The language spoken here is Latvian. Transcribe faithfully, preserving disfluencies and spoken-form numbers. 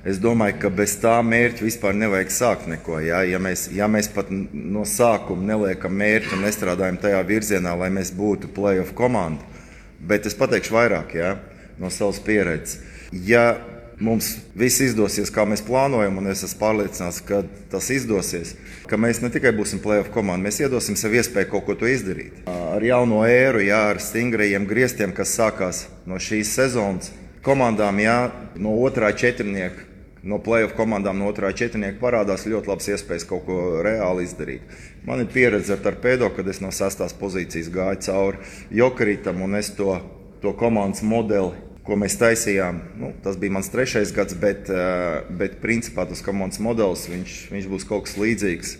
Es domāju, ka bez tā mērķa vispār nevajag sākt neko. Ja, ja, mēs, ja mēs pat no sākuma neliekam mērķi un nestrādājam tajā virzienā, lai mēs būtu play-off komanda, bet es pateikšu vairāk, ja, no savas pieredzes. Ja mums viss izdosies, kā mēs plānojam, un es esmu pārliecināts, ka tas izdosies, ka mēs ne tikai būsim play-off komanda, mēs iedosim sev iespēju kaut ko to izdarīt. Ar jauno ēru, jā, ar stingrajiem griestiem, kas sākās no šīs sezonas, komandām, jā, no otrā četrnieka, no play-off komandām no otrā četrnieka parādās ļoti labas iespējas kaut ko reāli izdarīt. Man ir pieredze ar Torpedo, kad es no sastās pozīcijas gāju cauri Jokeritam, un es to, to komandas modeli, ko mēs taisījām, nu, tas bija mans trešais gads, bet, bet principā tas komandas modelis, viņš, viņš būs kaut kas līdzīgs.